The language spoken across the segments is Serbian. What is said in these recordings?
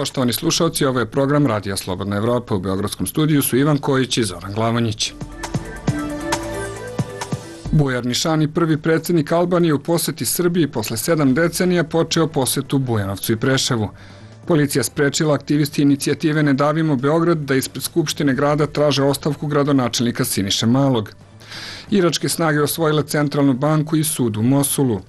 Poštovani slušalci, ovo je program Radija Slobodna Evropa. U Beogradskom studiju su Ivan Kojić i Zoran Glavonjić. Bujar Nišani, prvi predsjednik Albanije u poseti Srbiji posle 7 decenija, počeo posetu Bujanovcu i Preševu. Policija sprečila aktivisti inicijative Ne davimo Beograd da ispred Skupštine grada traže ostavku gradonačelnika Siniše Malog. Iračke snage osvojile centralnu banku i sud u Mosulu.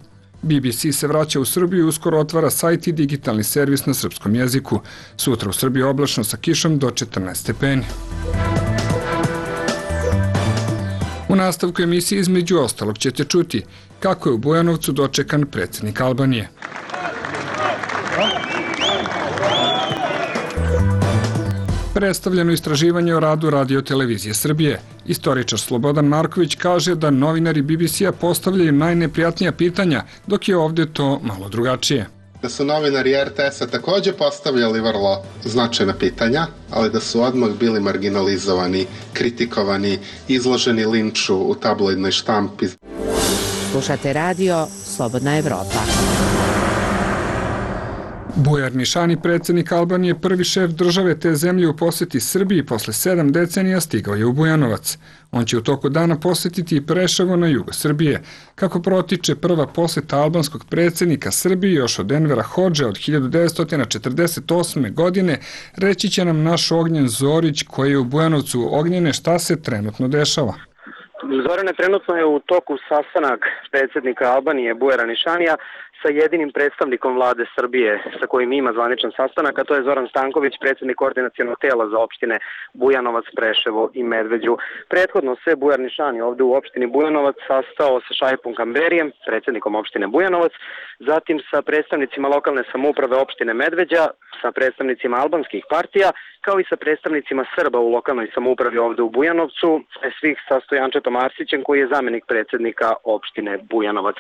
BBC se vraća u Srbiju i uskoro otvara sajt i digitalni servis na srpskom jeziku. Sutra u Srbiji oblačno sa kišom do 14 stepeni. U nastavku emisije između ostalog ćete čuti kako je u Bujanovcu dočekan predsjednik Albanije. Predstavljeno istraživanje o radu Radio-televizije Srbije. Istoričar Slobodan Marković kaže da novinari BBC-a postavljaju najneprijatnija pitanja, dok je ovdje to malo drugačije. Da su novinari RTS-a također postavljali vrlo značajna pitanja, ali da su odmah bili marginalizovani, kritikovani, izloženi linču u tabloidnoj štampi. Slušate radio Slobodna Evropa. Bujar Nišani, predsjednik Albanije, prvi šef države te zemlje u posjeti Srbiji posle 7 decenija, stigao je u Bujanovac. On će u toku dana posjetiti i Preševo na jugu Srbije. Kako protiče prva posjeta albanskog predsjednika Srbiji još od Envera Hodže od 1948. godine, reći će nam naš Ognjen Zorić koji je u Bujanovcu. Ognjene, šta se trenutno dešava? Zorane, trenutno je u toku sastanak predsjednika Albanije Bujara Nišanija sa jedinim predstavnikom vlade Srbije sa kojim ima zvaničan sastanak, a to je Zoran Stanković, predsjednik koordinacionog tela za opštine Bujanovac, Preševo i Medveđu. Prethodno se Bujar Nišani ovdje u opštini Bujanovac sastao sa Šaipom Kamberijem, predsjednikom opštine Bujanovac, zatim sa predstavnicima lokalne samouprave opštine Medveđa, sa predstavnicima albanskih partija, kao i sa predstavnicima Srba u lokalnoj samoupravi ovdje u Bujanovcu, svih sa Stojančetom Arsićem koji je zamjenik predsjednika opštine Bujanovac.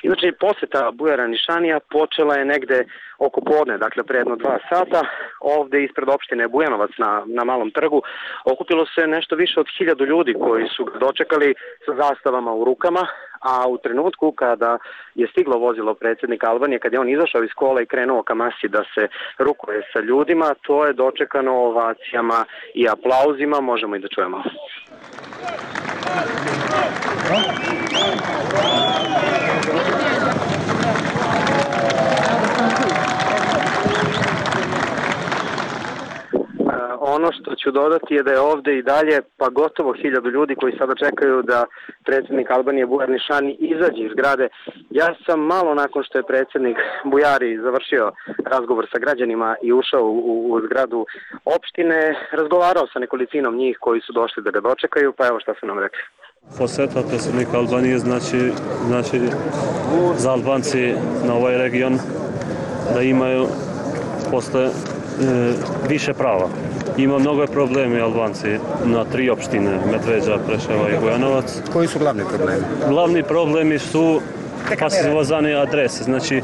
Inače, posjeta Bujara Nišanija počela je negde oko podne, dakle pre jedno 2 sata, ovdje ispred opštine Bujanovac na Malom trgu. Okupilo se nešto više od 1000 ljudi koji su ga dočekali sa zastavama u rukama, a u trenutku kada je stiglo vozilo predsjednika Albanije, kad je on izašao iz kola i krenuo ka masi da se rukuje sa ljudima, to je dočekano ovacijama i aplauzima, možemo i da čujemo. Ono što ću dodati je da je ovdje i dalje pa gotovo 1000 ljudi koji sada čekaju da predsjednik Albanije Bujar Nišani izađe iz zgrade. Ja sam malo nakon što je predsjednik Bujari završio razgovor sa građanima i ušao u zgradu opštine, razgovarao sa nekolicinom njih koji su došli da ga dočekaju, pa evo šta su nam rekli. Poseta predsjednika Albanije znači za Albanci na ovaj region da imaju posle više prava. Ima mnogo problemi Albanci na 3 opštine, Medveđa, Preševa i Bujanovac. Koji su glavni problemi? Glavni problemi su pasivozane adrese. Znači,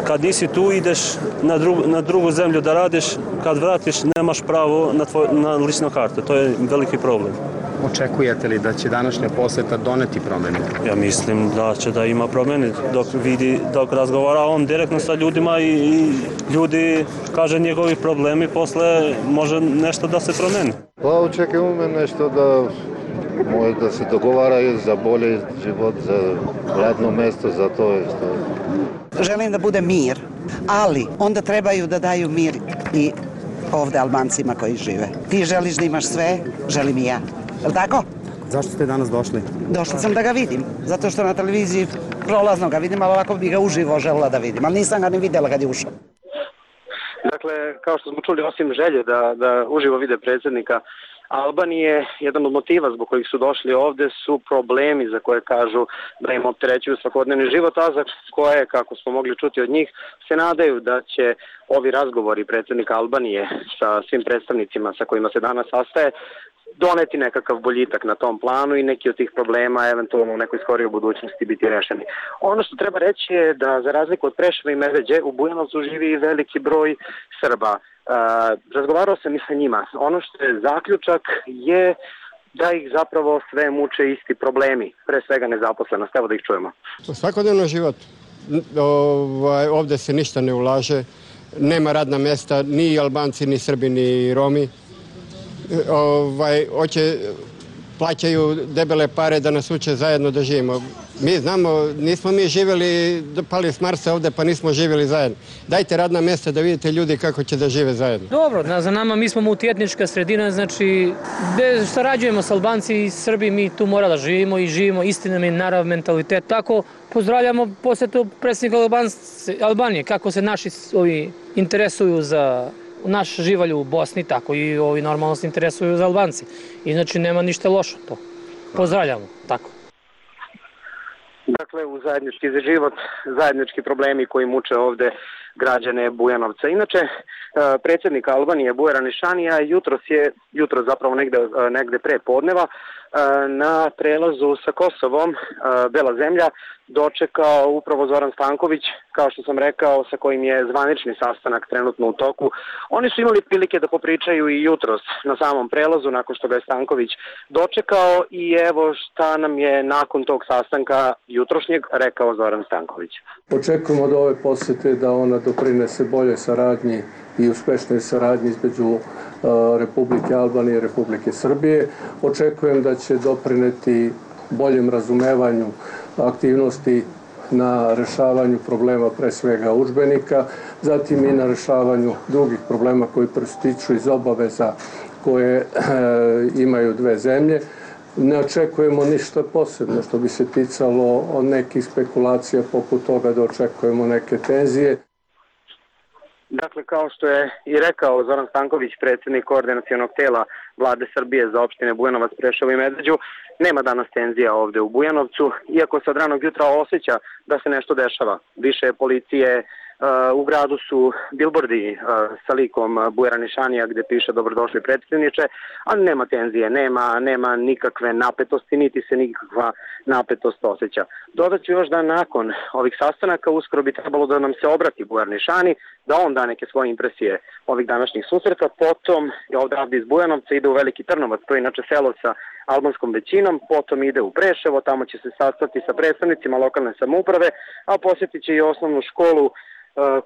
kad nisi tu, ideš na drugu zemlju da radiš, kad vratiš, nemaš pravo na ličnu kartu. To je veliki problem. Očekujete li da će današnja posjeta doneti promjene? Ja mislim da će da ima promjene. Dok razgovara on direktno sa ljudima i ljudi kaže njegovi problemi, posle može nešto da se promeni. Pa očekujemo nešto da se dogovaraju za bolji život, za radno mjesto, za to što... Želim da bude mir, ali onda trebaju da daju mir i ovdje Albancima koji žive. Ti želiš da imaš sve, želim i ja. Je li tako? Zašto ste danas došli? Došla sam da ga vidim, zato što na televiziji prolazno ga vidim, ali ovako bi ga uživo želela da vidim, ali nisam ga ni vidjela kad je ušao. Dakle, kao što smo čuli, osim želje da uživo vide predsjednika Albanije, jedan od motiva zbog kojih su došli ovdje su problemi za koje kažu da im opterećuju svakodnevni život, a za koje, kako smo mogli čuti od njih, se nadaju da će ovi razgovori predsjednika Albanije sa svim predstavnicima sa kojima se danas sastaje doneti nekakav boljitak na tom planu i neki od tih problema eventualno u nekoj skorijoj budućnosti biti rešeni. Ono što treba reći je da za razliku od Preševa i Medveđe u Bujanovcu živi veliki broj Srba. Razgovarao sam i sa njima. Ono što je zaključak je da ih zapravo sve muče isti problemi, pre svega nezaposlenost. Evo da ih čujemo. Svakodnevno život. Ovdje se ništa ne ulaže. nema radna mesta, ni Albanci, ni Srbi, ni Romi. Plaćaju debele pare da nas uče zajedno da živimo. Mi znamo, nismo mi živjeli, pali s Marsa ovde, pa nismo živjeli zajedno. Dajte radna mjesta da vidite ljudi kako će da žive zajedno. Dobro, za nama mi smo multietnička sredina, znači gde sarađujemo s Albanci i Srbi, mi tu mora da živimo i živimo istinami i narav mentalitet. Tako pozdravljamo posjetu predsjednika Albanije, kako se naši interesuju za naš živalj u Bosni, tako i ovi normalno se interesuju za Albanci. I znači nema ništa lošo to. Pozdravljamo, tako. Dakle, u zajednički za život, zajednički problemi koji muče ovde građane Bujanovca. Inače, predsjednik Albanije Bujar Anišanija jutro zapravo negde pre podneva na prelazu sa Kosovom, Bela zemlja, dočekao upravo Zoran Stanković, kao što sam rekao, sa kojim je zvanični sastanak trenutno u toku. Oni su imali prilike da popričaju i jutros na samom prelazu, nakon što ga je Stanković dočekao, i evo šta nam je nakon tog sastanka jutrošnjeg rekao Zoran Stanković. Očekujemo od ove posjete da ona doprinese bolje saradnji i uspešnoj saradnji između Republike Albanije i Republike Srbije. Očekujem da će doprineti boljem razumevanju aktivnosti na rešavanju problema pre svega udžbenika, zatim i na rešavanju drugih problema koji proističu iz obaveza koje imaju dve zemlje. Ne očekujemo ništa posebno što bi se ticalo od nekih spekulacija poput toga da očekujemo neke tenzije. Dakle, kao što je i rekao Zoran Stanković, predsjednik koordinacionog tela Vlade Srbije za opštine Bujanovac, Preševo i Medveđu, nema danas tenzija ovde u Bujanovcu, iako se od ranog jutra osjeća da se nešto dešava. Više policije, u gradu su bilbordi sa likom Bujar Anišanija gde piše dobrodošli predsjedniče, ali nema tenzije, nema nikakve napetosti, niti se nikakva napetost osjeća. Dodat ću još da nakon ovih sastanaka uskoro bi trebalo da nam se obrati Bujar Anišani, da on da neke svoje impresije ovih današnjih susreta, potom je ovdje iz Bujanovca ide u Veliki Trnovac, to je inače selo sa albanskom većinom, potom ide u Preševo, tamo će se sastati sa predstavnicima lokalne samouprave, a posjetit će i osnovnu školu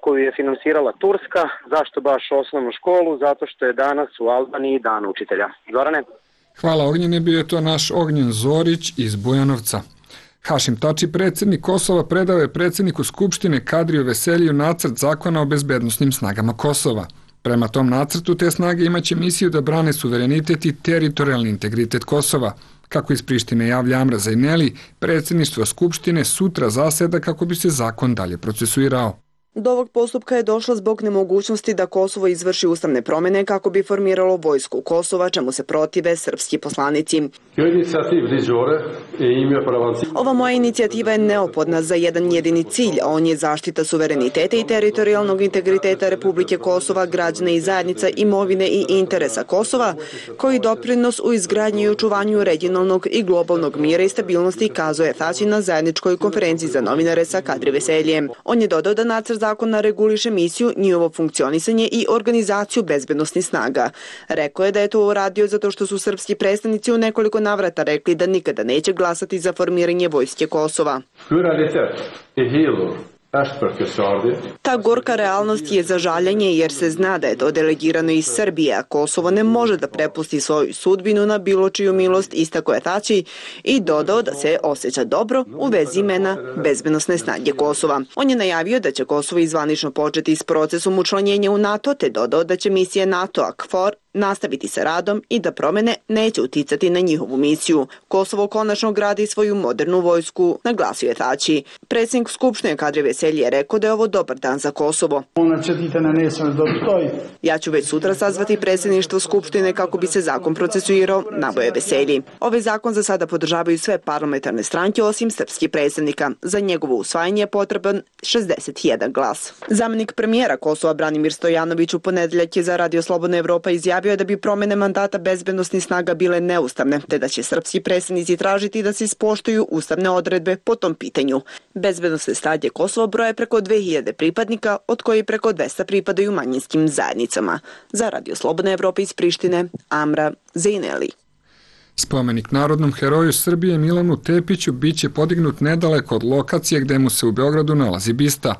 koju je finansirala Turska. Zašto baš osnovnu školu? Zato što je danas u Albaniji dan učitelja. Zorane? Hvala Ognjene, bio je to naš Ognjen Zorić iz Bujanovca. Hašim Tači, predsjednik Kosova, predao je predsjedniku Skupštine Kadriju Veseliju nacrt zakona o bezbednosnim snagama Kosova. Prema tom nacrtu te snage imaće misiju da brane suverenitet i teritorijalni integritet Kosova. Kako iz Prištine javlja Amra Zajneli, predsjedništvo Skupštine sutra zaseda kako bi se zakon dalje procesuirao. Do ovog postupka je došlo zbog nemogućnosti da Kosovo izvrši ustavne promjene kako bi formiralo vojsku Kosova, čemu se protive srpski poslanici. Ova moja inicijativa je neophodna za jedan jedini cilj, a on je zaštita suvereniteta i teritorijalnog integriteta Republike Kosova, građana i zajednica, imovine i interesa Kosova, koji doprinos u izgradnji i očuvanju regionalnog i globalnog mira i stabilnosti, kazuje Tači na zajedničkoj konferenciji za novinare sa Kadri Veseljem. On je dodao da nacrt zakona reguliše misiju, njihovo funkcionisanje i organizaciju bezbednosnih snaga. Rekao je da je to uradio zato što su srpski predstavnici u nekoliko navrata rekli da nikada neće glasati za formiranje vojske Kosova. Ta gorka realnost je za žaljenje jer se zna da je to delegirano iz Srbije, a Kosovo ne može da prepusti svoju sudbinu na bilo čiju milost, istako je Tači, i dodao da se osjeća dobro u vezi imena bezbednosne snage Kosova. On je najavio da će Kosovo izvanično početi s procesom učlanjenja u NATO, te dodao da će misija NATO-a KFOR nastaviti sa radom i da promjene neće uticati na njihovu misiju. Kosovo konačno gradi svoju modernu vojsku, naglasio je Tači. Predsjednik Skupštine Kadri Veselji je rekao da je ovo dobar dan za Kosovo. Ja ću već sutra sazvati predsjedništvo Skupštine kako bi se zakon procesuirao, naveo je Veselji. Ovaj zakon za sada podržavaju sve parlamentarne stranke osim srpskih predstavnika. Za njegovo usvajanje je potreban 61 glas. Zamenik premijera Kosova Branimir Stojanović u ponedeljak je za Radio Slobodna Evropa izjavio da bi promjene mandata bezbednosnih snaga bile neustavne, te da će srpski predstavnici tražiti da se ispoštuju ustavne odredbe po tom pitanju. Bezbednosne snage Kosova broje preko 2000 pripadnika, od koji preko 200 pripadaju manjinskim zajednicama. Za Radio Slobodna Evropa iz Prištine, Amra Zajneli. Spomenik narodnom heroju Srbije Milanu Tepiću biće podignut nedaleko od lokacije gde mu se u Beogradu nalazi bista.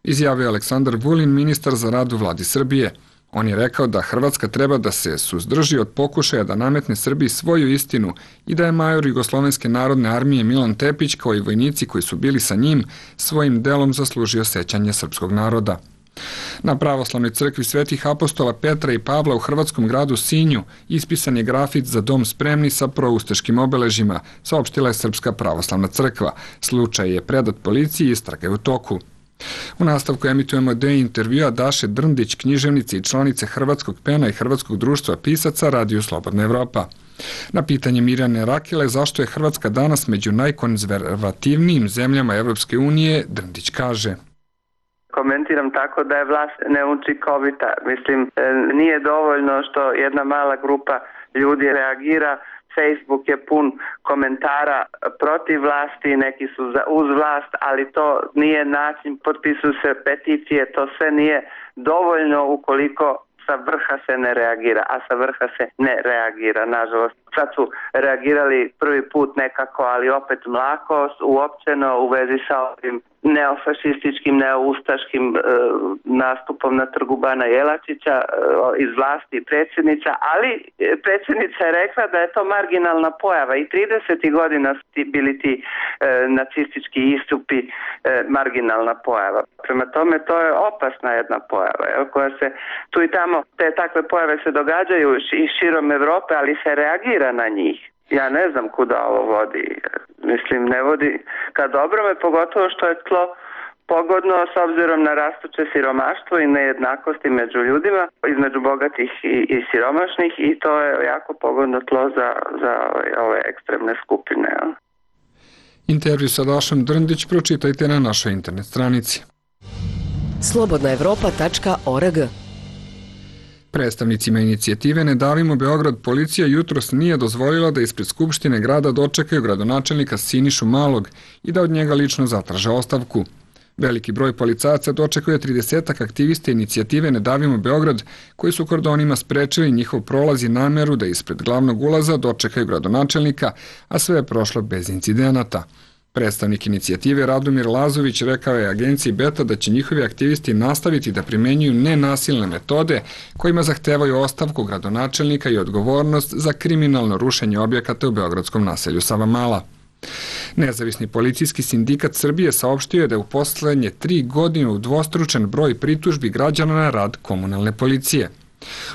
izjavio je Aleksandar Vulin, ministar za rad u vladi Srbije. On je rekao da Hrvatska treba da se suzdrži od pokušaja da nametne Srbiji svoju istinu i da je major Jugoslovenske narodne armije Milan Tepić, kao i vojnici koji su bili sa njim, svojim delom zaslužio sećanje srpskog naroda. Na pravoslavnoj crkvi Svetih apostola Petra i Pavla u hrvatskom gradu Sinju ispisan je grafit za dom spremni sa proustaškim obeležjima, saopštila je Srpska pravoslavna crkva. Slučaj je predat policiji i istraga je u toku. U nastavku emitujemo deo intervjua Daše Drndić, književnice i članice Hrvatskog PEN-a i Hrvatskog društva pisaca Radiju Slobodna Evropa. Na pitanje Mirjane Rakele zašto je Hrvatska danas među najkonzervativnijim zemljama Evropske unije, Drndić kaže: Komentiram tako da je vlast neučinkovita. Mislim, nije dovoljno što jedna mala grupa ljudi reagira. Facebook je pun komentara protiv vlasti, neki su uz vlast, ali to nije način, potpisuju se peticije, to sve nije dovoljno ukoliko sa vrha se ne reagira, a sa vrha se ne reagira, nažalost. Sad su reagirali prvi put nekako, ali opet mlako, uopćeno u vezi sa ovim neofašističkim, neoustaškim nastupom na trgu Bana Jelačića iz vlasti predsjednica, ali predsjednica je rekla da je to marginalna pojava i 30. godina su bili ti nacistički istupi marginalna pojava. Prema tome to je opasna jedna pojava, koja se tu i tamo, te takve pojave se događaju i širom Evrope, ali se reagira na njih. Ja ne znam kuda ovo vodi. Mislim, ne vodi ka dobrome, pogotovo što je tlo pogodno s obzirom na rastuće siromaštvo i nejednakosti među ljudima, između bogatih i siromašnih, i to je jako pogodno tlo za ove ekstremne skupine. Intervju sa Dašom Drndić pročitajte na našoj internet stranici. slobodnaevropa.org. Predstavnicima inicijative Ne davimo Beograd policija jutros nije dozvolila da ispred Skupštine grada dočekaju gradonačelnika Sinišu Malog i da od njega lično zatraže ostavku. Veliki broj policajaca dočekuje 30 aktivista inicijative Ne davimo Beograd, koji su kordonima sprečili njihov prolaz i nameru da ispred glavnog ulaza dočekaju gradonačelnika, a sve je prošlo bez incidenata. Predstavnik inicijative Radomir Lazović rekao je agenciji Beta da će njihovi aktivisti nastaviti da primenjuju nenasilne metode kojima zahtevaju ostavku gradonačelnika i odgovornost za kriminalno rušenje objekata u beogradskom naselju Savamala. Nezavisni policijski sindikat Srbije saopštio je da je u poslednje 3 godine udvostručen broj pritužbi građana na rad komunalne policije.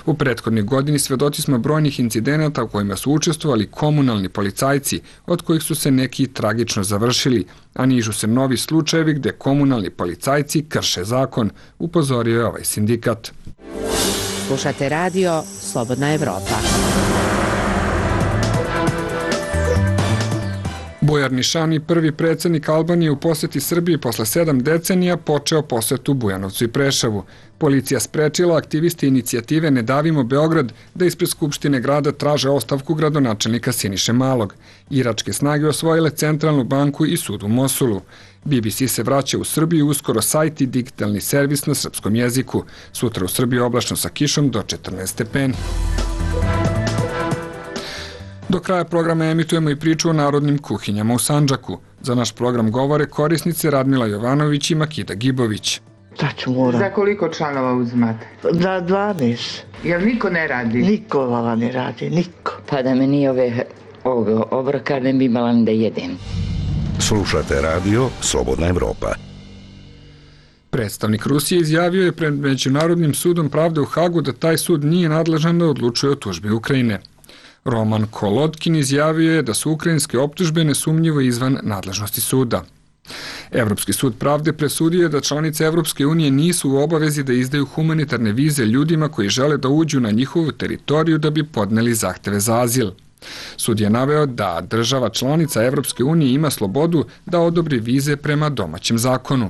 U prethodnoj godini svedoci smo brojnih incidenata u kojima su učestvovali komunalni policajci, od kojih su se neki tragično završili, a nižu se novi slučajevi gde komunalni policajci krše zakon, upozorio je ovaj sindikat. Slušate radio Slobodna Evropa. Bujar Nišani, prvi predsjednik Albanije u poseti Srbiji posle 7 decenija, počeo posetu Bujanovcu i Preševu. Policija sprečila aktivisti inicijative Ne davimo Beograd da ispred Skupštine grada traže ostavku gradonačelnika Siniše Malog. Iračke snage osvojile Centralnu banku i sud u Mosulu. BBC se vraća u Srbiju, uskoro sajt i digitalni servis na srpskom jeziku. Sutra u Srbiji oblačno sa kišom do 14 stepeni. Do kraja programa emitujemo i priču o narodnim kuhinjama u Sandžaku. Za naš program govore korisnice Radmila Jovanović i Makida Gibović. Tačno moram. Za koliko članova uzimate? Za 12. Jel niko ne radi? Niko vala ne radi, niko. Pa da me nije ove obroka ne bi imala da jedem. Slušate radio Slobodna Evropa. Predstavnik Rusije izjavio je pred Međunarodnim sudom pravde u Hagu da taj sud nije nadležan da odlučuje o tužbi Ukrajine. Roman Kolodkin izjavio je da su ukrajinske optužbe nesumnjivo izvan nadležnosti suda. Evropski sud pravde presudio je da članice Evropske unije nisu u obavezi da izdaju humanitarne vize ljudima koji žele da uđu na njihovu teritoriju da bi podneli zahteve za azil. Sud je naveo da država članica Evropske unije ima slobodu da odobri vize prema domaćem zakonu.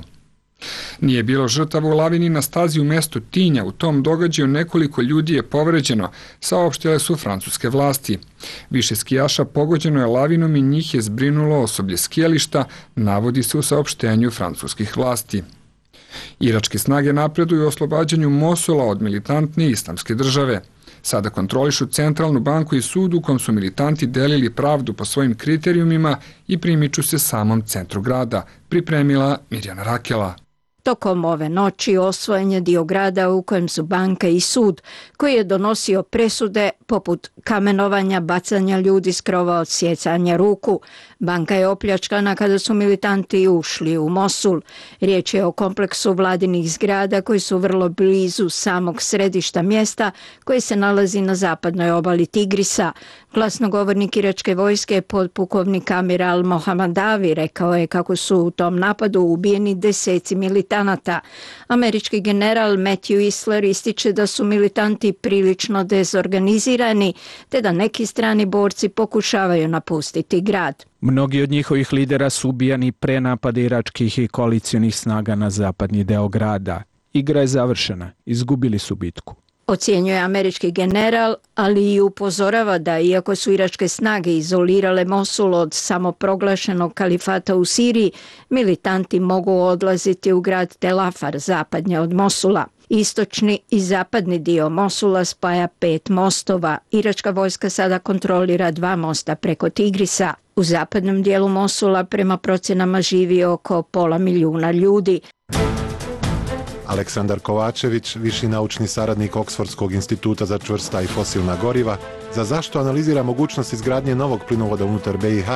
Nije bilo žrtava u lavini na stazi u mestu Tinja. U tom događaju nekoliko ljudi je povređeno, saopštile su francuske vlasti. Više skijaša pogođeno je lavinom i njih je zbrinulo osoblje skijališta, navodi se u saopštenju francuskih vlasti. Iračke snage napreduju u oslobađanju Mosula od militantne islamske države. Sada kontrolišu Centralnu banku i sud u kom su militanti delili pravdu po svojim kriterijumima i primiču se samom centru grada, pripremila Mirjana Rakela. Tokom ove noći osvojen je dio grada u kojem su banka i sud, koji je donosio presude poput kamenovanja, bacanja ljudi s krova, odsjecanja ruku. Banka je opljačkana kada su militanti ušli u Mosul. Riječ je o kompleksu vladinih zgrada koji su vrlo blizu samog središta mjesta koje se nalazi na zapadnoj obali Tigrisa. Glasnogovornik iračke vojske, podpukovnik Amir al-Mohammadavi, rekao je kako su u tom napadu ubijeni deseci militanata. Američki general Matthew Isler ističe da su militanti prilično dezorganizirani, te da neki strani borci pokušavaju napustiti grad. Mnogi od njihovih lidera su ubijani pre napada iračkih i koalicionih snaga na zapadni deo grada. Igra je završena, izgubili su bitku. Ocjenjuje američki general, ali i upozorava da iako su iračke snage izolirale Mosul od samoproglašenog kalifata u Siriji, militanti mogu odlaziti u grad Tel Afar, zapadnje od Mosula. Istočni i zapadni dio Mosula spaja 5 mostova. Iračka vojska sada kontrolira 2 mosta preko Tigrisa. U zapadnom dijelu Mosula prema procjenama živi oko 500.000 ljudi. Aleksandar Kovačević, viši naučni saradnik Oksfordskog instituta za čvrsta i fosilna goriva, za zašto analizira mogućnost izgradnje novog plinovoda unutar BiH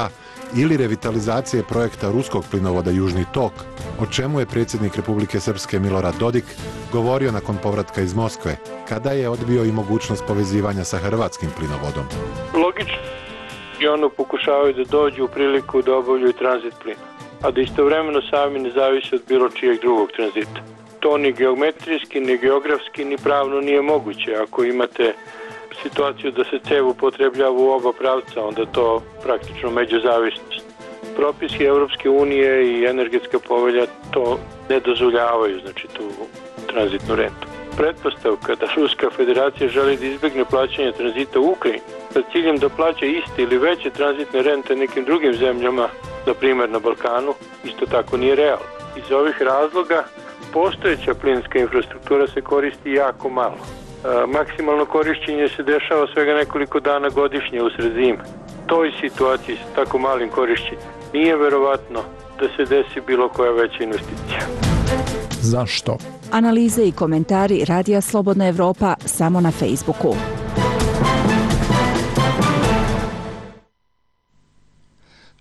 ili revitalizacije projekta ruskog plinovoda Južni tok, o čemu je predsjednik Republike Srpske Milorad Dodik govorio nakon povratka iz Moskve, kada je odbio i mogućnost povezivanja sa hrvatskim plinovodom. Logično i ono pokušavaju da dođu u priliku da obavljaju tranzit plina, a da istovremeno sami ne zavise od bilo čijeg drugog tranzita. To ni geometrijski, ni geografski, ni pravno nije moguće. Ako imate situaciju da se cev upotrebljava u oba pravca, onda to praktično međuzavisnost. Propisi Europske unije i energetska povelja to ne dozvoljavaju, znači tu tranzitnu rentu. Pretpostavka da Ruska federacija želi da izbjegne plaćanje tranzita u Ukrajini sa ciljem da plaća iste ili veće tranzitne rente nekim drugim zemljama, na primjer na Balkanu, isto tako nije realno. Iz ovih razloga postojeća plinska infrastruktura se koristi jako malo. Maksimalno korišćenje se dešava svega nekoliko dana godišnje usred zime. Toj situaciji sa tako malim korišćenjem nije verovatno da se desi bilo koja veća investicija. Zašto? Analize i komentari Radija Slobodna Evropa samo na Facebooku.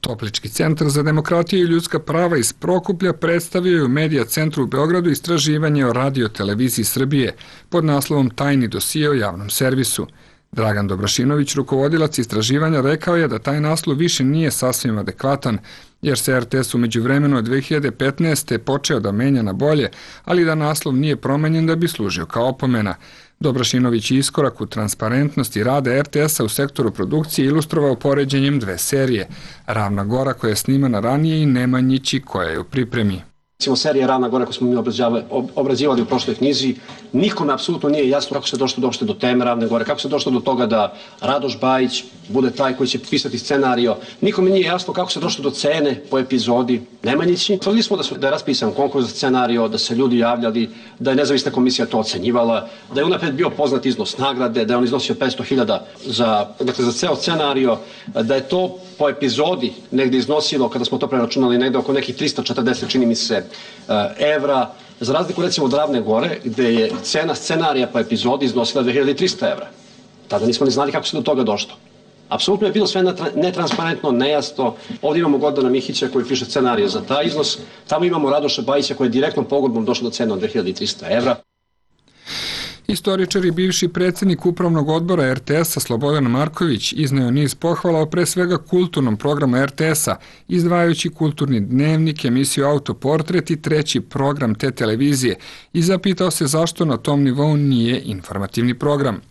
Toplički centar za demokratiju i ljudska prava iz Prokuplja predstavio je u Medija centru u Beogradu istraživanje o Radio-televiziji Srbije pod naslovom Tajni dosije o javnom servisu. Dragan Dobrašinović, rukovodilac istraživanja, rekao je da taj naslov više nije sasvim adekvatan, jer se RTS u međuvremenu od 2015. počeo da menja na bolje, ali da naslov nije promenjen da bi služio kao opomena. Dobrašinović je iskorak u transparentnosti rada RTS-a u sektoru produkcije ilustrovao poređenjem 2 serije. Ravna gora koja je snimana ranije i Nemanjići koja je u pripremi. Recimo serija Ravna gora koju smo mi obrađivali u prošloj knjizi, nikome apsolutno nije jasno kako se došlo do teme Ravne gore, kako se došlo do toga da Radoš Bajić bude taj koji će pisati scenario. Nikome nije jasno kako se došlo do cene po epizodi Nemanjići. Tvrdili smo da je raspisan konkurs za scenario, da se ljudi javljali, da je nezavisna komisija to ocenjivala, da je unapred bio poznat iznos nagrade, da je on iznosio 500.000 za ceo scenario, da je to po epizodi negdje iznosilo, kada smo to preračunali, negdje oko nekih 340, čini mi se, evra, za razliku recimo od Ravne gore, gde je cena scenarija po epizodi iznosila 2300 evra. Tada nismo ni znali kako se do toga došlo. Apsolutno je bilo sve netransparentno, nejasno. Ovdje imamo Gordana Mihića koji piše scenarije za taj iznos, tamo imamo Radoša Bajića koji je direktnom pogodbom došao do cene od 2300 evra. Istoričar i bivši predsjednik upravnog odbora RTS-a Slobodan Marković izneo niz pohvala o pre svega kulturnom programu RTS-a, izdvajajući kulturni dnevnik, emisiju Autoportret i 3. program te televizije i zapitao se zašto na tom nivou nije informativni program.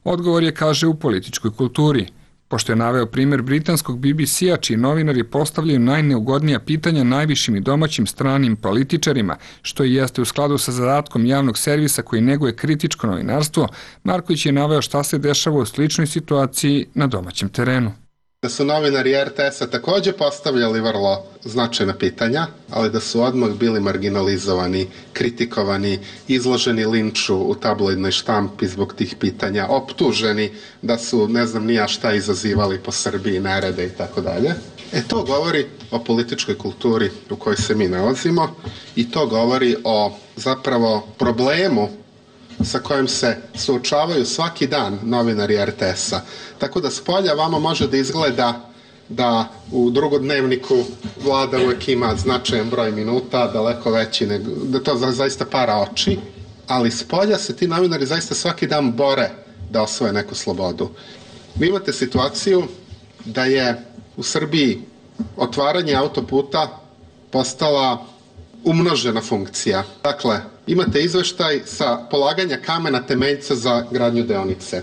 Odgovor je, kaže, u političkoj kulturi. Pošto je naveo primjer britanskog BBC-a, čiji novinari postavljaju najneugodnija pitanja najvišim i domaćim stranim političarima, što i jeste u skladu sa zadatkom javnog servisa koji neguje kritičko novinarstvo, Marković je naveo šta se dešava u sličnoj situaciji na domaćem terenu. Da su novinari RTS-a takođe postavljali vrlo značajna pitanja, ali da su odmah bili marginalizovani, kritikovani, izloženi linču u tabloidnoj štampi zbog tih pitanja, optuženi da su ne znam ni ja šta izazivali po Srbiji, nerede i tako dalje. To govori o političkoj kulturi u kojoj se mi nalazimo i to govori o zapravo problemu sa kojim se suočavaju svaki dan novinari RTS-a. Tako da spolja vama može da izgleda da u drugodnevniku vlada uvek ima značajan broj minuta, daleko veći, da to zaista para oči, ali spolja se ti novinari zaista svaki dan bore da osvoje neku slobodu. Vi imate situaciju da je u Srbiji otvaranje autoputa postala umnožena funkcija. Dakle, imate izveštaj sa polaganja kamena temeljca za gradnju deonice.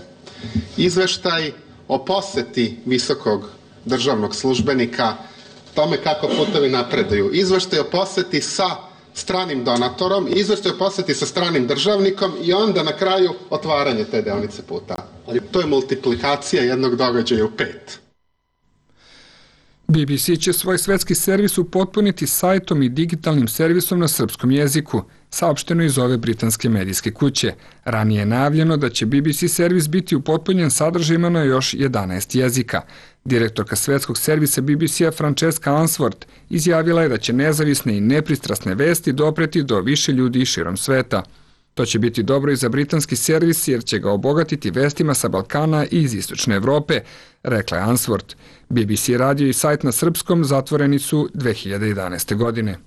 Izveštaj o poseti visokog državnog službenika, tome kako putovi napreduju. Izveštaj o poseti sa stranim donatorom, izveštaj o poseti sa stranim državnikom i onda na kraju otvaranje te deonice puta. Ali to je multiplikacija jednog događaja u 5. BBC će svoj svetski servis upotpuniti sajtom i digitalnim servisom na srpskom jeziku, saopšteno iz ove britanske medijske kuće. Ranije je najavljeno da će BBC servis biti upotpunjen sadržajima na još 11 jezika. Direktorka svetskog servisa BBC-a Francesca Answorth izjavila je da će nezavisne i nepristrasne vesti dopreti do više ljudi širom sveta. To će biti dobro i za britanski servis jer će ga obogatiti vestima sa Balkana i iz Istočne Evrope, rekla je Answorth. BBC radio i sajt na srpskom zatvoreni su 2011. godine.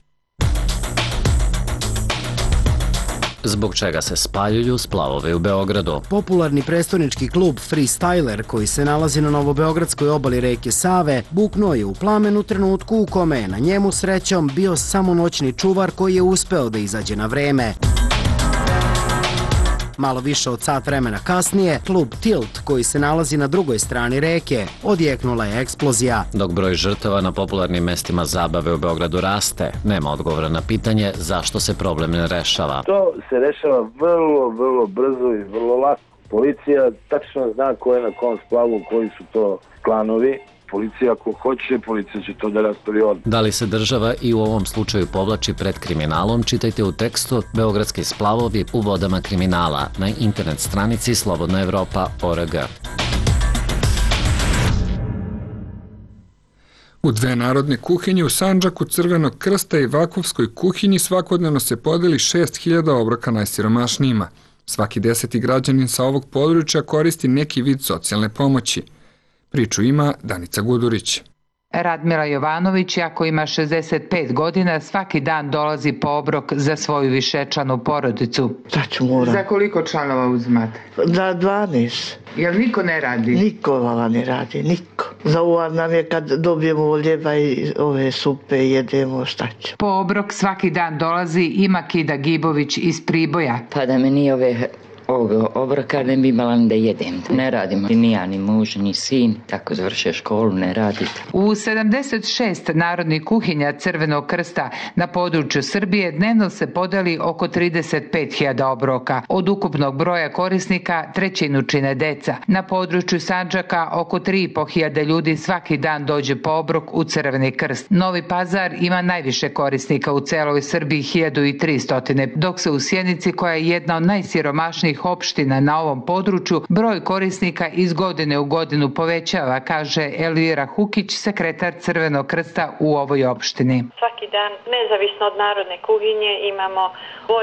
Zbog čega se spaljuju splavovi u Beogradu? Popularni prestonički klub Freestyler, koji se nalazi na novobeogradskoj obali reke Save, buknuo je u plamen u trenutku u kome je na njemu srećom bio samo noćni čuvar koji je uspeo da izađe na vreme. Malo više od sat vremena kasnije, klub Tilt, koji se nalazi na drugoj strani reke, odjeknula je eksplozija. Dok broj žrtava na popularnim mestima zabave u Beogradu raste, nema odgovora na pitanje zašto se problem ne rešava. To se rešava vrlo brzo i vrlo lako. Policija tačno zna ko je na kom splavu, koji su to klanovi. Policija ako hoće, policija će to da raspravi odmah. Da li se država i u ovom slučaju povlači pred kriminalom, čitajte u tekstu Beogradski splavovi u vodama kriminala na internet stranici slobodnaevropa.org. U dve narodne kuhinje u Sandžaku, Crvenog krsta i Vakovskoj kuhinji svakodnevno se podeli 6000 obroka najsiromašnijima. Svaki 10. građanin sa ovog područja koristi neki vid socijalne pomoći. Priču ima Danica Gudurić. Radmila Jovanović, ako ima 65 godina, svaki dan dolazi po obrok za svoju višečlanu porodicu. Tačno moram. Za koliko članova uzimate? Za 12. Jel niko ne radi? Niko vala ne radi, niko. Za uvar nam je kad dobijemo ljeba i ove supe jedemo, šta će. Po obrok svaki dan dolazi i Makida Gibović iz Priboja. Pa da me nije ovoga obroka ne bi imala da jedem. Ne radimo ni ja, ni muž, ni sin, tako završe školu, ne radite. U 76 narodnih kuhinja Crvenog krsta na području Srbije dnevno se podeli oko 35.000 obroka. Od ukupnog broja korisnika trećinu čine deca. Na području Sandžaka oko 3.500 ljudi svaki dan dođe po obrok u Crveni krst. Novi Pazar ima najviše korisnika u celoj Srbiji, 1300, dok se u Sjenici, koja je jedna od najsiromašnijih opština na ovom području, broj korisnika iz godine u godinu povećava, kaže Elvira Hukić, sekretar Crvenog krsta u ovoj opštini. Svaki dan, nezavisno od narodne kuhinje, imamo 2-3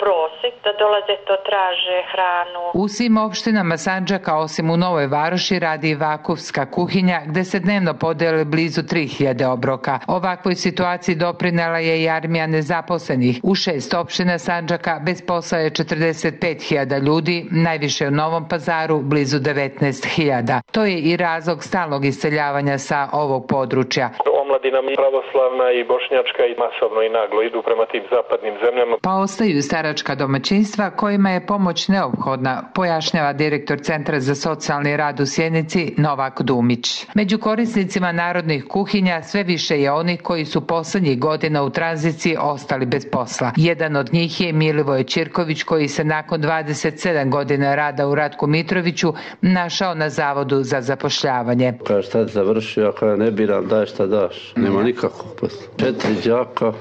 prosek da dolaze, to traže hranu. U svim opštinama Sandžaka, osim u Novoj Varoši, radi i Vakovska kuhinja, gde se dnevno podele blizu 3000 obroka. Ovakvoj situaciji doprinela je i armija nezaposlenih. U 6 opština Sandžaka bez posla je 45.000 ljudi, najviše u Novom Pazaru, blizu 19.000. To je i razlog stalnog iseljavanja sa ovog područja. omladina pravoslavna i bošnjačka i masovno i naglo idu prema tim zapadnim zemljama. Pa ostaju staračka domaćinstva kojima je pomoć neophodna, pojašnjava direktor Centra za socijalni rad u Sjenici Novak Dumić. Među korisnicima narodnih kuhinja sve više je onih koji su poslednjih godina u tranziciji ostali bez posla. Jedan od njih je Milivoje Ćirković koji se nakon 27 godina rada u Ratku Mitroviću našao na Zavodu za zapošljavanje. Kaže, šta završio, ako ne biram, daj šta daš. Nema nikakvog posla. 4 đaka.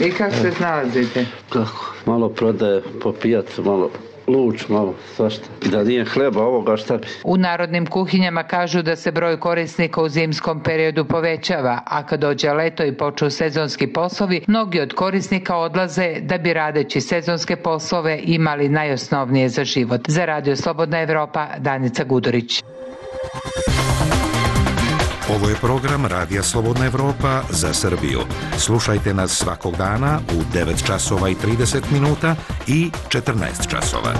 I kako se snalazite? Kako? Malo prodaje po pijacu, malo luč, malo svašta. I da nije hleba ovoga, šta bi? U narodnim kuhinjama kažu da se broj korisnika u zimskom periodu povećava, a kad dođe leto i počnu sezonski poslovi, mnogi od korisnika odlaze da bi radeći sezonske poslove imali najosnovnije za život. Za Radio Slobodna Evropa, Danica Gudurić. Ovo je program Radija Slobodna Evropa za Srbiju. Slušajte nas svakog dana u 9 časova i 30 minuta i 14 časova.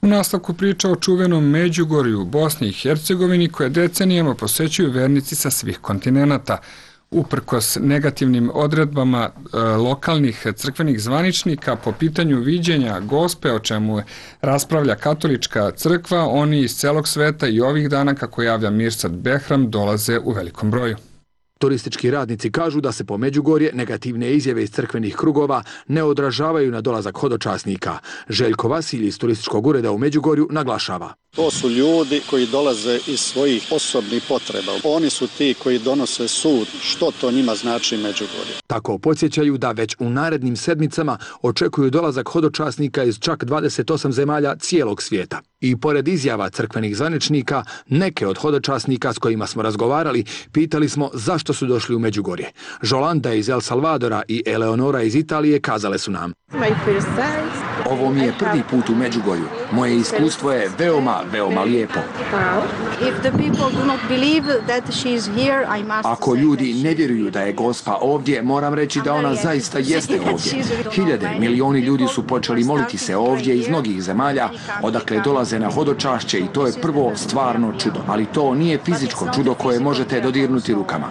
U nastavku priča o čuvenom Međugorju u Bosni i Hercegovini koje decenijama posećuju vernici sa svih kontinenata. Uprkos negativnim odredbama lokalnih crkvenih zvaničnika po pitanju viđenja Gospe, o čemu raspravlja katolička crkva, oni iz celog sveta i ovih dana, kako javlja Mirsad Behram, dolaze u velikom broju. Turistički radnici kažu da se po Međugorje negativne izjave iz crkvenih krugova ne odražavaju na dolazak hodočasnika. Željko Vasilj iz turističkog ureda u Međugorju naglašava. To su ljudi koji dolaze iz svojih osobnih potreba. Oni su ti koji donose sud što to njima znači Međugorje. Tako podsjećaju da već u narednim sedmicama očekuju dolazak hodočasnika iz čak 28 zemalja cijelog svijeta. I pored izjava crkvenih zvaničnika, neke od hodočasnika s kojima smo razgovarali pitali smo zašto su došli u Međugorje. Žolanda iz El Salvadora i Eleonora iz Italije kazale su nam: ovo mi je prvi put u Međugorju. Moje iskustvo je veoma lijepo. Ako ljudi ne vjeruju da je Gospa ovdje, moram reći da ona zaista jeste ovdje. Hiljade, milioni ljudi su počeli moliti se ovdje iz mnogih zemalja, odakle dolaze na hodočašće i to je prvo stvarno čudo. Ali to nije fizičko čudo koje možete dodirnuti rukama.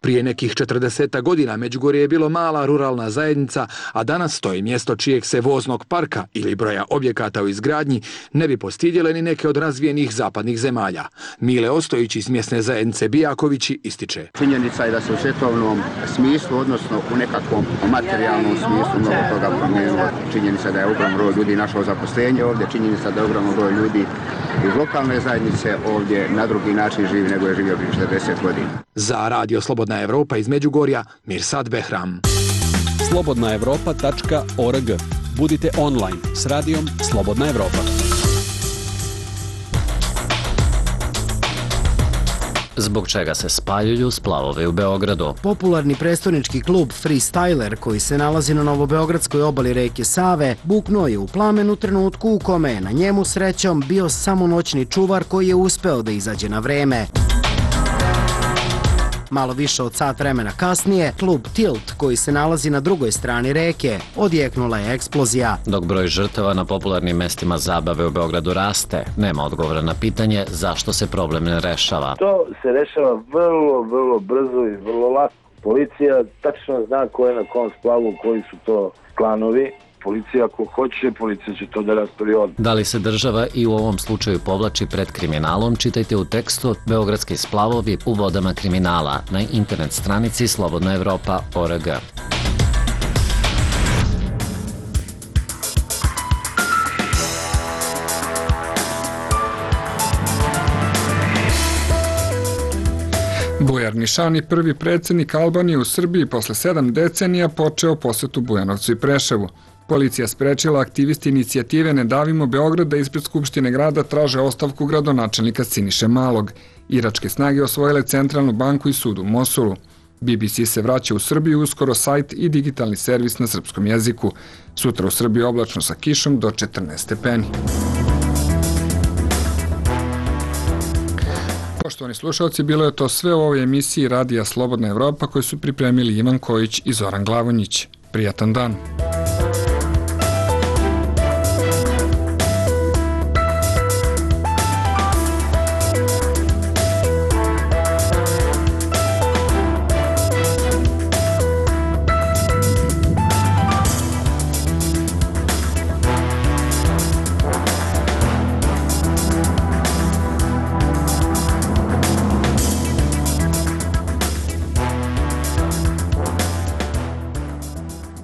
Prije nekih 40 godina Međugorje je bilo mala ruralna zajednica, a danas to je mjesto čijeg se voznog parka ili broja objekata u izgradnji ne bi postidjele ni neke od razvijenih zapadnih zemalja. Mile Ostojić iz mjesne zajednice Bijakovići ističe: činjenica je da se u svjetovnom smislu, odnosno u nekakvom materijalnom smislu mnogo toga promijenilo. Činjenica da je ogromno broj ljudi našao zaposlenje ovdje, činjenica da je ogromno broj ljudi iz lokalne zajednice ovdje na drugi način živi nego je živio prije 40 godina. Za Radio Slobodna Evropa iz Međugorja, Mirsad Behram. slobodnaevropa.org. Budite online s radijom Slobodna Evropa. Zbog čega se spaljuju splavovi u Beogradu? Popularni prestonički klub Freestyler, koji se nalazi na novobeogradskoj obali reke Save, buknuo je u plamen u trenutku u kome je na njemu srećom bio samo noćni čuvar koji je uspeo da izađe na vreme. Malo više od sat vremena kasnije, klub Tilt, koji se nalazi na drugoj strani reke, odjeknula je eksplozija. Dok broj žrtava na popularnim mestima zabave u Beogradu raste, nema odgovora na pitanje zašto se problem ne rešava. To se rešava vrlo brzo i vrlo lako. Policija tačno zna ko je na kom splavu, koji su to klanovi. Policija ako hoće, policija će to da raspravi odmah. Da li se država i u ovom slučaju povlači pred kriminalom, čitajte u tekstu Beogradski splavovi u vodama kriminala na internet stranici slobodnaevropa.org. Bujar Nišani, prvi predsjednik Albanije u Srbiji posle 7 decenija, počeo posetu Bujanovcu i Preševu. Policija sprečila aktivisti inicijative Ne davimo Beograd da ispred Skupštine grada traže ostavku gradonačelnika Siniše Malog. Iračke snage osvojile centralnu banku i sud u Mosulu. BBC se vraća u Srbiju, uskoro sajt i digitalni servis na srpskom jeziku. Sutra u Srbiji oblačno sa kišom do 14 stepeni. Poštovani slušalci, bilo je to sve u ovoj emisiji Radija Slobodna Evropa koju su pripremili Ivan Kojić i Zoran Glavonjić. Prijatan dan!